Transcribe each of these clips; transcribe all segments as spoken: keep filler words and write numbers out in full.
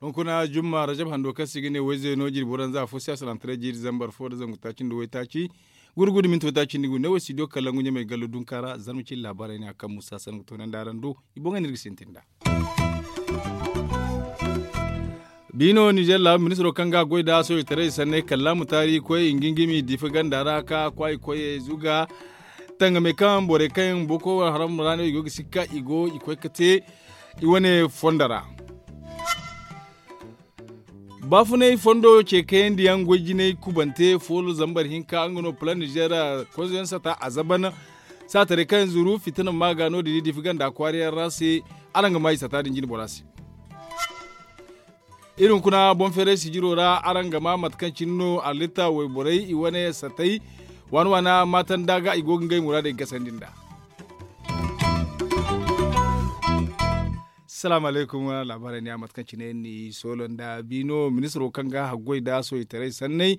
Hunkuna jumma rajab hando kaŋ se i ga ne wayze no jirbi waranza fo se a salaŋ taray jiiri zambar fo nda zangu taaci nda waytaaci gurgudu minti waytaaci nda gu ne wo studio kalangu ɲamey gallo dunka ra zarma cine laabaarey ne a kaŋ musa sanni ga toonandi araŋ do. I boŋey no iri ga sintin nd'a. Biino nizer laabu ministiro kaŋ ga a goy nd'a soojitaray sanney kalla mutaari koy i ga ngimi diifa ganda ra ka kwaay koyey zuga tangamey kaŋ borey kaŋ yaŋ boko haram ra no i go ga sikka i go i koy ga te i wane fondo ra. Baafunay fondo ce kayandi yaŋ goy jinay kubante foolo zambar hinka nga no plan nizer konzo yaŋ sata a zaban saataray kaŋ zuru fitina ma ga no- din i diifa ganda kwaara yaŋ ra se. Araŋ ga ma i sata din jine bora se. Iri hunkuna boŋ feeray sijiro ra araŋ ga ma mate kaŋ cine no allitta wayborey i wane satay waana waana maatanda ga i go ga ngey muraadey gasandi nd'a. Salaamu alaykum. Laabaarey ne a mate kaŋ cine ni soolo nda biino ministiro kaŋ ga haggoy nda soojitaray sanney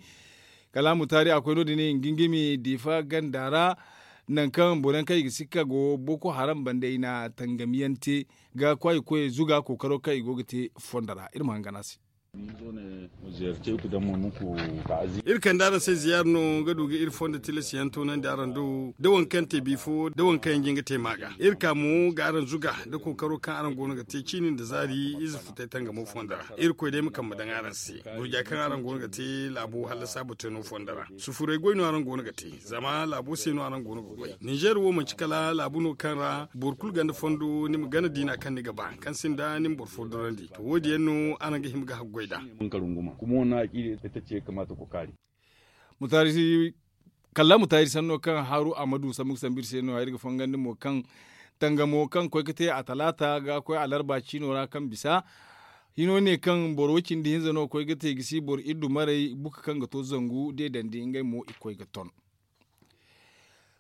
kala mutaari a koy no- din i ga ngimi diifa ganda ra. Nangu kaŋ boro yaŋ kaŋ i ga sikka go boko haram banda i na tangamiyaŋ te ga kwaay koyey zuga kookaro kaŋ i go ga te fondo ra iri ma hangan a se. Iri kande araŋ se ziyaara no ga du ga iri fondo tilas yaŋ toonandi araŋ do da waŋ kaŋ te bi fo da waŋ kaŋ yaŋ jin ga te ma ga iri ka mo ga araŋ zuga da kookaro kaŋ araŋ go no ga te ciini nda zaari ize futay tangamo fondo ra. Irkoy day ma kambe daŋ araŋ se gurja kaŋ araŋ go no ga te laabo hallasa bateeno fondo ra. Sufuray goy no araŋ go no ga te zama laabo se no araŋ go no ga goy ninzeer wo manci kala laabu no kaŋ ra boro kulu ganda fondo ni ma gana diina kaŋ ni ga ba kaŋ sinda ni ma boro fo dorandi to wo- din yaŋ no araŋ ga hima ga haggoy nd'a. Kalla mutaari sanno kaŋ haaru a ma du sambu ga sambu iri se no- ya iri ga fangandi mo kaŋ tangamo kaŋ koy ga te a talaata ga koy alarba ciino ra kaŋ bisa hino ne kaŋ boro way- cindi hinza no koy ga te gisi boro iddu maray buka kaŋ ga to zangu deedandi ngey mo i koy ga ton.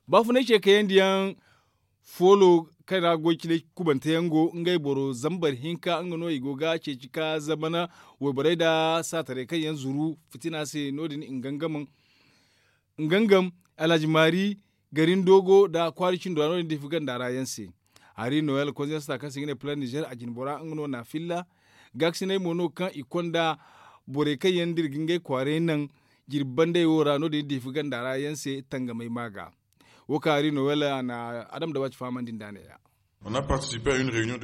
Baafunay ce kayandi yaŋ foolo kaŋ ra goy cine kubante yaŋ go ngey boro zambar hinka nga no i go ga ceeci ka zamana wayborey nda saataray kaŋ yaŋ zuru fitina se no- din i ga ngam alhaji maari gari ni doogo nda kwaari cindo ra no- din diifa ganda ra yaŋ se. Hari noyel konzensata kaŋ se i ga ne plan nizer a jinbora nga no na filla gaakasinay mo no kaŋ i konda borey kaŋ yaŋ da iri ga ngey kwaaray naŋ jirbi bandey wo ra no- din diifa ganda ra yaŋ se tangamey ma ga. Wo kaŋ hari noyel a na adam da waati fahamandi nd'a ne- ya.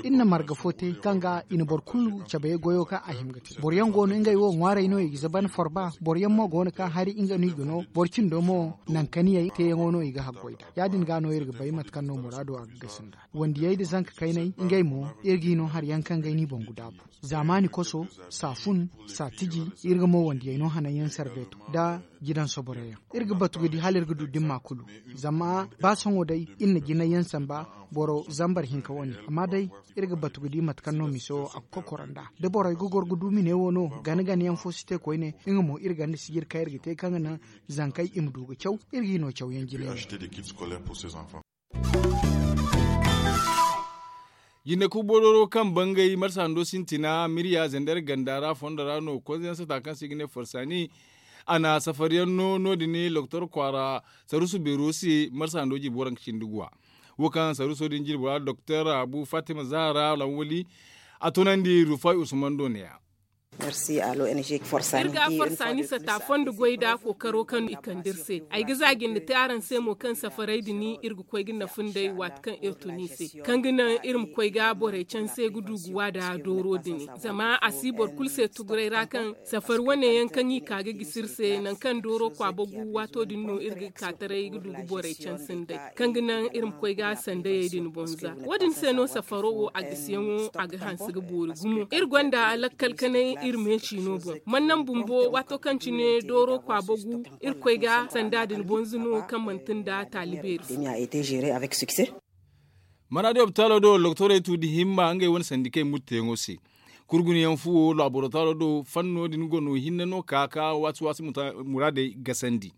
Iri na marga fo te kaŋ ga i na boro kulu cabe goyo kaŋ a hima ga te boro yaŋ go no ngey wo ŋwaaray no i ga zaban forba boro yaŋ mo go no kaŋ hari nga no i ga no boro cindo mo nankaniyey teeyaŋo no i ga haggoy nd'a ya- din ga no iri ga bay mate kaŋ no muraado a ga gasi nd'a wandiyey nda zanka kayney ngey mo iri g'i no hari yaŋ kaŋ ga ay n'i boŋ ga daabu zaamaani koso saafun saatiji iri ga mo wandiyey no hananyaŋ sarbeeto nda jidan soboroyaŋ iri ga batu ga di hala iri ga du dimma kulu zama ba sohõ day iri na jinayyaŋ samba boro zambar hinka wane amma day iri ga batu ga di mate kaŋ no miso a ga kokoro nd'a da borey ga goro ga du mine wo no gana gana yaŋ fo si te koyne nga mo iri ganda sijir kaŋ iri ga te kaŋ ga naŋ zankey i ma du ga caw iri g'i no cawyaŋ jine yaŋ. Jinde kubo dooro kaŋ bangay marsa hando sintina mirya zander ganda ra fondo ra no konzayaŋ sata kaŋ se i ga ne forsaani a na safariyaŋ no no- din loktor kwaara sarusu beero se marsa hando jirbi waranka cindi guwa. Wo kaŋ saruso din jirbi ra doktor abu fatima zahara lawali a tunandi rufai usman do ne ya. Iri ga forsaani sata fondo goy nda kookaro kaŋ i kande iri se ay ga za jinde te araŋ se mo kaŋ safaray din iri ga koy ga nafa nd'ey waati kaŋ iri tun i se kaŋ ga naŋ iri ma koy ga borey canse ga du ga wa nda dooro din zama a si boro kulu se tuguray ra kaŋ safari wane yaŋ kaŋ i ka ga gisi iri se nangu kaŋ dooro kwaaba gu waato din no iri ga ka taray ga du ga borey canse nd'ey kaŋ ga naŋ iri ma koy ga sandayey din boŋ za wo- din se no safaro wo a gisiyaŋo a ga hanse ga boori gumo iri gonda lakkal kanay iri meeci no boŋ mannaŋ bumbo waato kaŋ cine dooro kwaaba gu iri koy ga sanda din boŋ za no kaŋ manti nda taali beeri fo. Maraadi opitaalo do doktorey tu nda himma ngey wane sandikey murteyaŋo se kurgunayaŋ fuwo laborotaro do fanno din gono hinne no ka ka waasi waasi muraadey gasandi.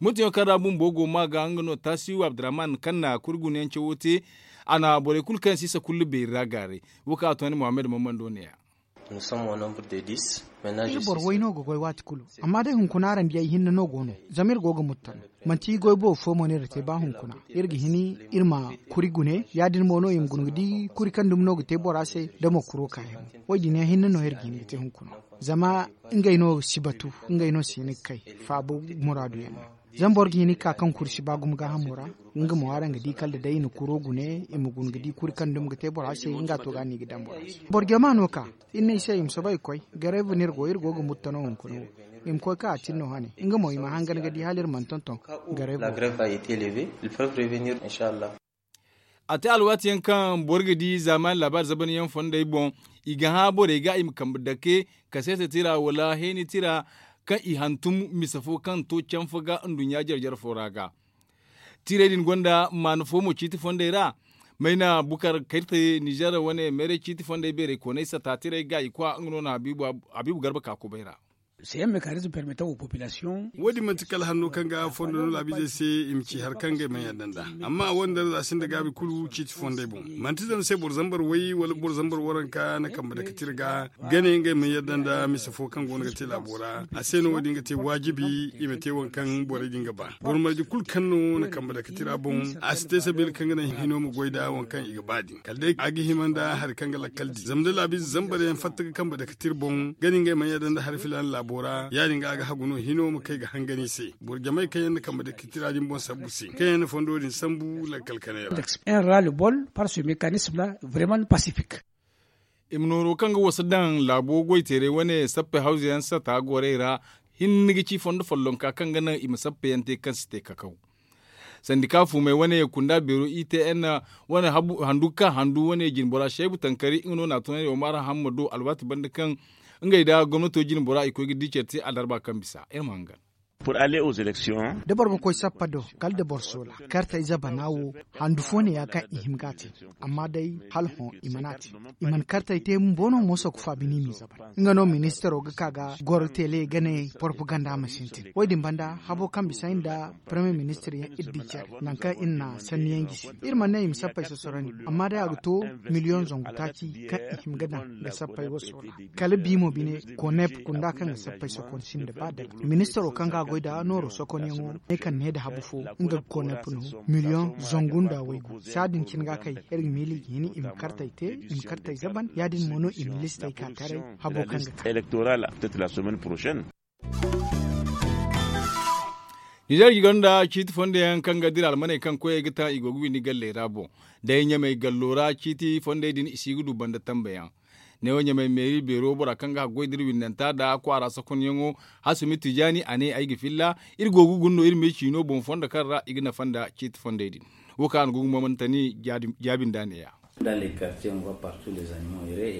Murteyaŋo kaŋ ra bumbo go ma ga nga no tasiwu abdurrahman kaŋ na kurgunayaŋ cawo te a na borey kulu kaŋ yaŋ si isa kullu beeri ra gaaray. Wo kaŋ a toonandi muhammad mammando ne- ya. Iri boro way no ga goy waati kulu. Amma day hunkuna araŋ di ay hinne no go no. Zama iri go ga muttan. Manti goy boobo fo mo no iri ga te ba hunkuna. Iri ga hin iri ma kuri gune ya- din mo no i ma guna ga di kuri kaŋ dumi no ga te bora se da mo kuro kaayaŋo. Wo- din yaŋ hinne no iri ga hin ga te hunkuna. Zama ngey no si batu. Ngey no si hin ga kay faabu muraadu yaŋ no. Zama boro ga hin ga ka kaŋ kuri si ba gumo gaahamo ra. Nga mo araŋ ga di kala da day i na kuro gune i ma guna ga di kuri kaŋ dumi ga te bora se nga to ga no i ga daŋ bora se. Boro jama no ka iri ne i se i ma soobay ga koy. Gareebu no iri go iri go ga muttan no hunkuna wo. I ma koy ka a tin no hane nga mo i ma hangan ga di hala iri mana tonton. Gareebu. A te alwaati yaŋ kaŋ boro ga di zaamaani laabaari zabanyaŋ fondey boŋ. I ga hã borey ga i ma kambe dake kaseete tira wala heeni tira kaŋ i hantum mise fo kaŋ to canfa ga nduɲɲa jare jare fo ra ga. Tirey din gonda maana fo mo ciiti fondey ra. Mayna bukar kayte nizer wane meeray ciiti fondey beeray koonay sata tirey ga i kwa nga no na habiibu garba ka kubay ra. Wo- din manti kala hanno kaŋ ga fondo no laabizey se i ma ci hari kaŋ ga ay mana yadda nd'a. Amma a wane darza sinda gaabi kulu ciiti fondey boŋ. Manti zama se boro zambar way wala boro zambar waranka na kambe dake tira ga gane ngey mana yadda nda mise fo kaŋ go no ga te laabo ra. A se no wo- din ga te waajibi i ma te waŋ kaŋ borey din ga ba. Boro marje kulu kaŋ no na kambe dake tira boŋ a si te sabeela kaŋ ga naŋ hino ma goy nda waŋ kaŋ i ga ba din kala day a ga hima nda hari kaŋ ga lakkal di zama da laabiize zambar yaŋ fatta ga kambe dake tira boŋ gane ngey mana yadda nda hari filaana laabo ra ya- din ga a ga hagu no hino ma kay ga hangan i se. Boro jamey kaŋ yaŋ na kambe dake tira din boŋ sambu se kaŋ yaŋ na fondo din sambu lakkal kanay ra. Ra le bol par se mekanisme la vraiment pasifik. I ma nooro kaŋ ga wasa daŋ laabo goy teeray wane sappey hawza yaŋ sata gorey ra. Hinne ga ci fondo follonka kaŋ ga naŋ i ma sappey yaŋ te kaŋ si te kakaw. Sandika fumey wane kunda beero i te n wane handu ga ka handu wane jinbora seebu tankari nga no na tunandi omar hammado alwaati banda kaŋ ngey nda gomnato jinbora i koy ga di care te alarba kaŋ bisa iri ma hangan. Da boro ga koy sappa do kala da boro soola kartey zabana wo handu fo ne ya kaŋ i hima ga a te. Amma day hala hõ i mana a te. I mana kartey te bumbo no mooso ga faabi no i m'i zaban nga no ministaro ga ka ga goro tele ga ne porpaganda ma sintin wo- din banda habo kaŋ bisa iri nda paramiyer ministir yaŋ iri di care nangu kaŋ iri na sanni yaŋ gisi. Iri mana ne i ma sappey sosorandi amma day a ga to miliyoŋ zangu taaci kaŋ i hima ga daŋ ga sappey wo soola. Kala bi mo bine konep kunda kaŋ ga sappey sokon sinda ba dala ministaro kaŋ ga a goy nda nooro sokonyaŋo ne kaŋ ne nda habu fo nga ga konep no miliyoŋ zangu nda waygu saadin cine ga kay iri ga miili ga hin i ma kartey te i ma kartey zaban ya- din mo no i ma listey ka taray habo kaŋ ga ka. Nizer ga gonda ciiti fondo yaŋ kaŋ ga dira almaney kaŋ koyey ga taŋ i go ga windi galley ra boŋ. Day ɲamey gallo ra ciiti fondey din i si ga du banda tambe yaŋ. Neewo ɲamey meeri beero bora kaŋ ga haggoy da iri windanta nda kwaara sokonyaŋo hasumi tijaani a ne ay ga filla iri go ga guna no iri me ciino boŋ fondo kaŋ ra i ga nafa nda ciiti fondey din. Wo kaŋ a na go ga mamantani jaabi nda a neeya.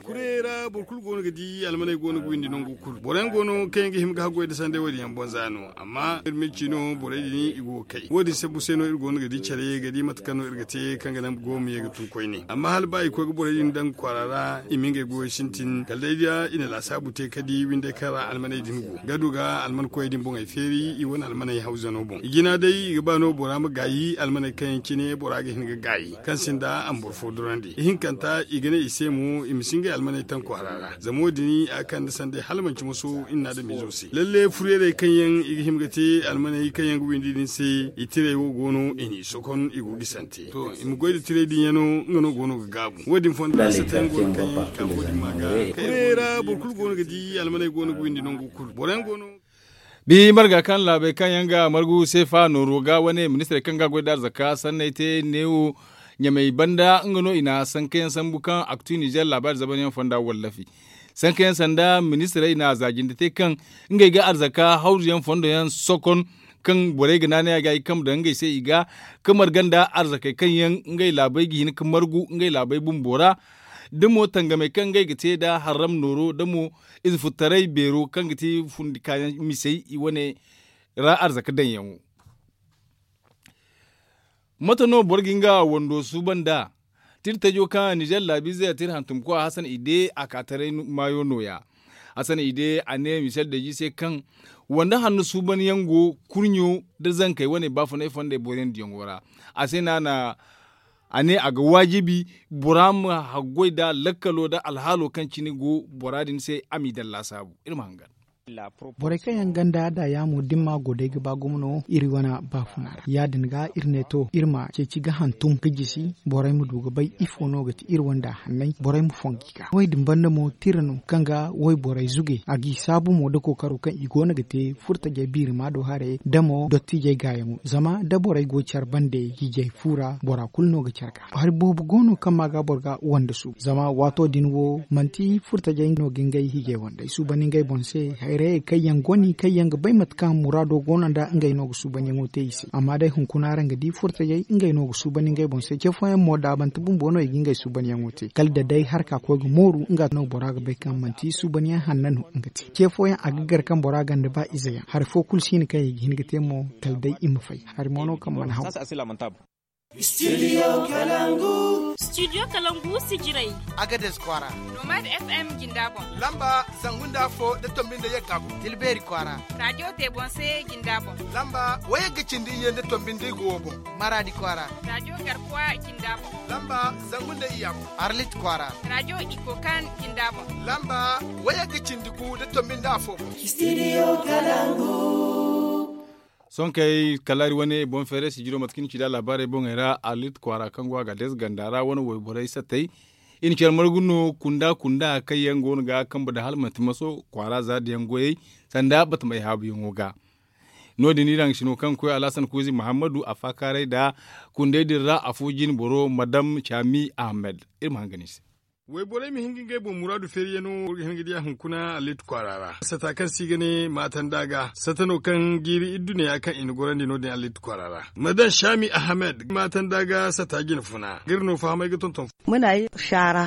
Kurey ra boro kulu go no ga di almaney go no ga windi nangu kulu boro yaŋ go no kaŋ yaŋ ga hima ga haggoy nda sanday wo- din yaŋ boŋ za no amma iri ma ay ci no borey din i go ga kay wo- din sambu se no iri go no ga di care ga di mate kaŋ no iri ga te kaŋ ga naŋ go ma ye ga tun koyne amma hala ba i koy ga borey din daŋ kwaara ra i ma ngey goyo sintin kala day da i na laasaabu te ka di windey kaŋ ra almaney din go ga du ga alman koyey din boŋey feeri i wane almaney hawzano boŋ i jina day i ga ba no bora ma gaayi almaney kaŋ yaŋ cine bora ga hin ga gaayi kaŋ sinda a ma boro fo durandi ihinkanta i ga ne i se mo i ma si ngey almaney taŋ kwaara ra zama wo- din a ga kande sanday hala manci moso iri na adamiizo se lalle furyeerey kaŋ yaŋ i ga hima ga te almaney kaŋ yaŋ ga windi din se i tirey wo go no i n'i sokon i go ga i sante to i ma goy nda tirey din yaŋ no nga no go no ga gaabu wo- din fonda sata yaŋ go no kaŋ yaŋ i ga ka fo din ma ga furyeerey ra boro kulu go no ga di almaney go no ga windi nangu kulu boro yaŋ go no. Bi marga kaŋ laabey kaŋ yaŋ ga margu seefa nooro ga wane ministirey kaŋ ga goy da arzaka sanney te neewo ɲamey banda nga no i na sankayaŋ sambu kaŋ aktu nizer laabaari zabanyaŋ fonda wallafi. Sankayaŋ sanda ministirey na zaajindi te kaŋ ngey ga arzaka hawzuyaŋ fondoyaŋ sokon kaŋ borey ga naanay a ga i kambe daŋ ngey se i ga ka marga nda arzakey kaŋ yaŋ ngey laabey ga hin ka margu ngey laabey bumbo ra. Da mo tangamey kaŋ ngey ga te nda harram nooro da mo ize futtaray beero kaŋ ga ti fundi kaayaŋ misey i wane ra arzaka daŋyaŋo. Mate no boro ga nga wando suuban da? Tira tajo kaŋ nizer laabiize tira hantumkoy hasan ide a ka taray maayo nooya. Hasan ide a ne michel deji se kaŋ wanda hanno suuban yaŋ go kurɲo da zankey wane baafunay fondey booriyaŋ diyaŋo ra. A se no a na A ne a ga waajibi bora ma haggoy nda lakkalo nda alhaalo kaŋ cine go bora din se a m'i daŋ laasaabu. Iri ma hangan. Borey kaŋ yaŋ ganda da yaamo dimma go day ga ba gumo no iri wane baafuna ra ya- din ga iri ne to iri ma ceeci ga hantum ga jisi borey ma du ga bay ifo no ga ti iri wanda hanney borey ma fongu i ga wo- din banda mo tira no kaŋ ga wayborey zuge a g'i saabu mo nda kookaro kaŋ i go no ga te furtajey biirima do haray da mo dottijey gaayaŋo zama da borey go care bande hiijay fu ra bora kulu no ga care ga hari boobo go no kaŋ ma ga boro ga wande suubu zama waato din wo manti furtajey no ga ngey hiijay wandey suubandi ngey boŋ se hayrayey kaŋ yaŋ goni kaŋ yaŋ ga bay mate kaŋ muraado go no nda ngey no ga suubandiyaŋo te i se amma day hunkuna araŋ ga di furtajey ngey no ga suubandi ngey boŋ se ce fooyaŋ mo daabante bumbo no i ga ngey suubandiyaŋo te kala da day harka koy ga mooru nga no bora ga bay kaŋ manti suubandiyaŋ hanna no nga te ce fooyaŋ a ga gar kaŋ bora ganda ba izeyaŋ hari fo kulu si hin kaŋ i ga hin ga te mo kala day i ma fay hari mo no kaŋ mana haw. Studio kalangu sijirey. Agades kwaara. Nomad fm jinda boŋ. Lamba zangu nda afo da tombi nda yagga boŋ. Tilbeeri kwaara. Radio tebonse jinda boŋ. Lamba wayagga cindi iyye nda tombi nda igo wo boŋ. Maraadi kwaara. Radio garkuwa jinda boŋ. Lamba zangu nda iyya boŋ. Arlit kwaara. Radio ikokan jinda boŋ. Lamba wayagga cindi gu nda tombi nda afo boŋ. Studio kalangu. Sohõ kay kala iri wane boŋ feeray sijiro mate kaŋ iri ci nd'a laabaarey boŋey ra arlit kwaara kaŋ go a ga deesa ganda ra wane wayborey sattey. Iri na care margu no kunda kunda kaŋ yaŋ go no ga kambe da hala manti maso kwaara za da yaŋ goyey sanda batamey haabuyaŋo ga. No- din iri haŋ sino kaŋ ga koy alhasan kuuzi muhammadu a faakaaray nda kundey din ra afo jine boro madam caami ahmed. Iri ma hangan i se. Wayborey ma hin ga ngey boŋ muraadu feeriyaŋo boro ga hin ga diya hunkuna allit kwaara ra sata kaŋ se i ga ne maatanda ga sata no kaŋ jiiri idduneya kaŋ i na gorandi no- din allit kwaara ra. Madam shaami ahamed maatanda ga sata jine funa ga iri no fahamay ga tonton.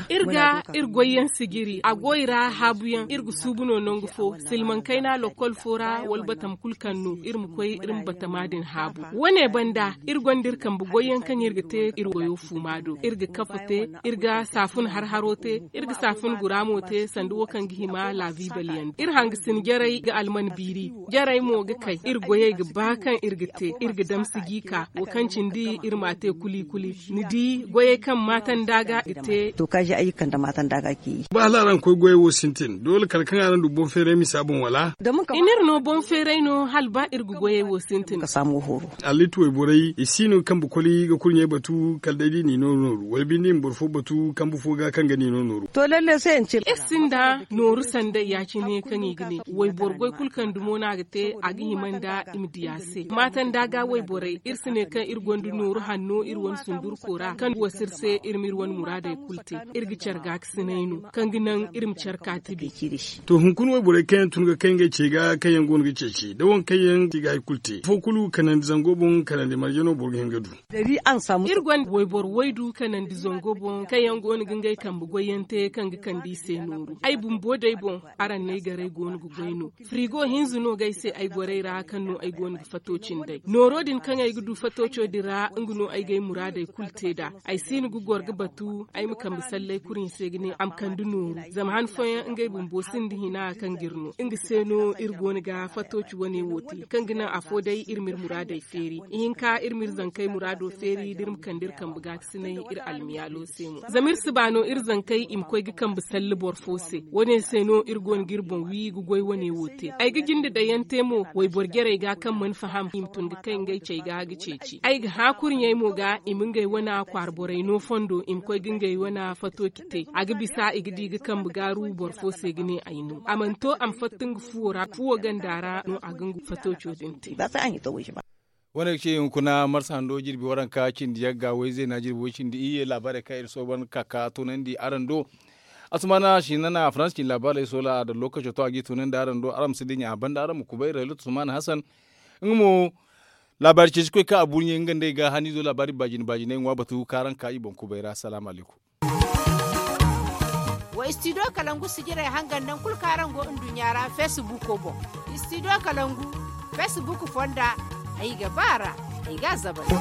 Iri ga iri goyyaŋ sijiri a go i ra haabuyaŋ iri ga suubu no nangu fo silmaŋ kayna lokkol fo ra wala batam kulu kaŋ no iri ma koy iri ma batama din haabu. Wane banda iri gonda iri kambe goyyaŋ kaŋ iri ga te iri goyo fuuma do iri ga kafa te iri ga saafun har haro te iri ga saafun guraamo te sanda wo kaŋ ga hima laabiibal yaŋ iri hangasin jarey ga alman biiri jarey mo ga kay iri goyey ga ba kaŋ iri ga te iri ga damsi gi ka wo kaŋ cindi iri m'a te kuli kuli ni di goyey kaŋ maatanda ga ga te. Ba hala araŋ koy goyey wo sintin doole kala kaŋ araŋ du boŋ feeray misa boŋ wala? I n'iri no boŋ feeray no hala ba iri ga goyey wo sintin. Alliiti wayborey i si no ga kambe koli ga kurɲey batu kala day da i n'i no nooru wala binde i ma boro fo batu kambe fo ga kaŋ ga n'i no nooru. Iri sinda nooru sanday ya- cine kaŋ i ga ne wayboro goy kulu kaŋ dumo no a ga te a ga hima nda i ma di a se maatanda ga wayborey iri si ne kaŋ iri gonda nooru hanno iri wane sundurko ra kaŋ wasa iri se iri ma iri wane muraadey kulu te. Iri ga care gaakasinay no kaŋ ga naŋ iri ma care ka tibi. To hunkuna wayborey kaŋ yaŋ tun ga kay ngey ce ga kaŋ yaŋ go no ga ceeci da waŋ kaŋ yaŋ ti ga hari kulu te afo kulu kanandi zango boŋ kanandi marje no boro ga hin ga du. Iri gonda wayboro waydu kanandi zango boŋ kaŋ yaŋ go no ga ngey kambe goyyaŋ te kaŋ ga kande i se nooru ay bumbo day boŋ. Araŋ n'ay garay go no ga goy no firigo hinza no ga ay se ay gorey ra kaŋ no ay go no ga fato cindey nooro din kaŋ ay ga du fatoco din ra nga no ay ga ay muraadey kulu te nd'a. Ay si no ga goro ga batu ay ma kambe sallay kurɲe se ga ne a ma kande nooru zama han fooyaŋ ngey bumbo sinda hina kaŋ ga iri no nga se no iri go no ga fatoci wane wo te kaŋ ga naŋ afo day iri ma iri muraadey feeri ihinka iri ma iri zankey muraado feeri da iri ma kande iri kambe gaakasinay iri almiyaalo se mo zama iri si ba no iri zankey i ma koy ga kambe salli boro fo se. Wane se no iri go no ga iri boŋ wi ga goy wane wo te ay ga jinde dayaŋ te mo wayboro jarey ga kaŋ mana faham i ma tun ga kay ngey cey ga ga ceeci ay ga hã kurɲey mo ga i ma ngey wana kwaara borey no fondo i ma koy ga ngey wana fatoci te a ga bisa i ga di ga kambe gaaru boro fo se ga ne ay no a mana to a ma fatta nga fuwo ra fuwo ganda ra no a ga nga fatoco din te. Wane ga ce hunkuna marsa hando jirbi waranka cindi yagga wayze na jirbi way cindi iyye laabaarey kaŋ iri sooban ka ka toonandi araŋ do. Asumana sinana farans cindi laabaarey soola da lokaco to a g'i toonandi araŋ do araŋ ma si dinya a banda araŋ ma kubay raylat usman hasan. Nga mo laabaari ceeci koy kaŋ a burɲe nga nd'ey ga haniizo laabaari baajine baajiney ŋwa batu kaŋ araŋ ka i boŋ kubay ra salaamu alaykum. Wa studio kalangu sijirey hangan naŋ kulu kaŋ araŋ go nduɲɲa ra facebook boŋ. Studio kalangu facebook fonda ay ga ba ra ay ga a zabari.